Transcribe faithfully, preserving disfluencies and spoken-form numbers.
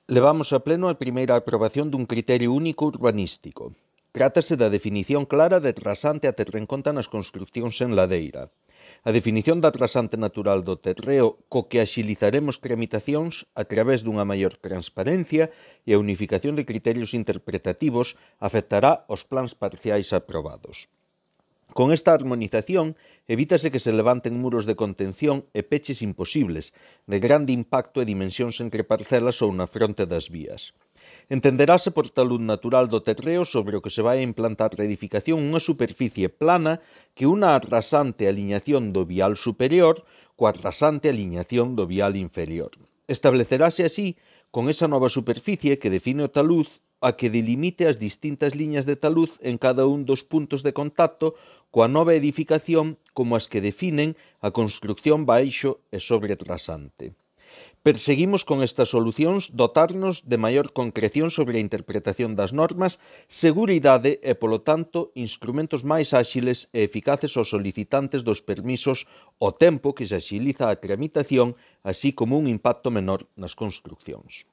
Levamos a pleno a primeira aprobación dun criterio único urbanístico. Trátase da definición clara de rasante a ter en conta nas construcións en ladeira. A definición da rasante natural do terreo co que axilizaremos tramitacións a través dunha maior transparencia e a unificación de criterios interpretativos afectará os plans parciais aprobados. Con esta armonización, evítase que se levanten muros de contención e peches imposibles, de grande impacto e dimensións entre parcelas ou na fronte das vías. Entenderase por talud natural do terreo sobre o que se vai a implantar a edificación unha superficie plana que unha rasante aliñación do vial superior coa rasante aliñación do vial inferior. Estableceráse así, con esa nova superficie que define o talud, a que delimite as distintas liñas de taluz en cada un dos puntos de contacto coa nova edificación como as que definen a construcción baixo e sobre rasante. Perseguimos con estas solucións dotarnos de maior concreción sobre a interpretación das normas, seguridade e, polo tanto, instrumentos máis áxiles e eficaces aos solicitantes dos permisos ao tempo que se axiliza a tramitación, así como un impacto menor nas construccións.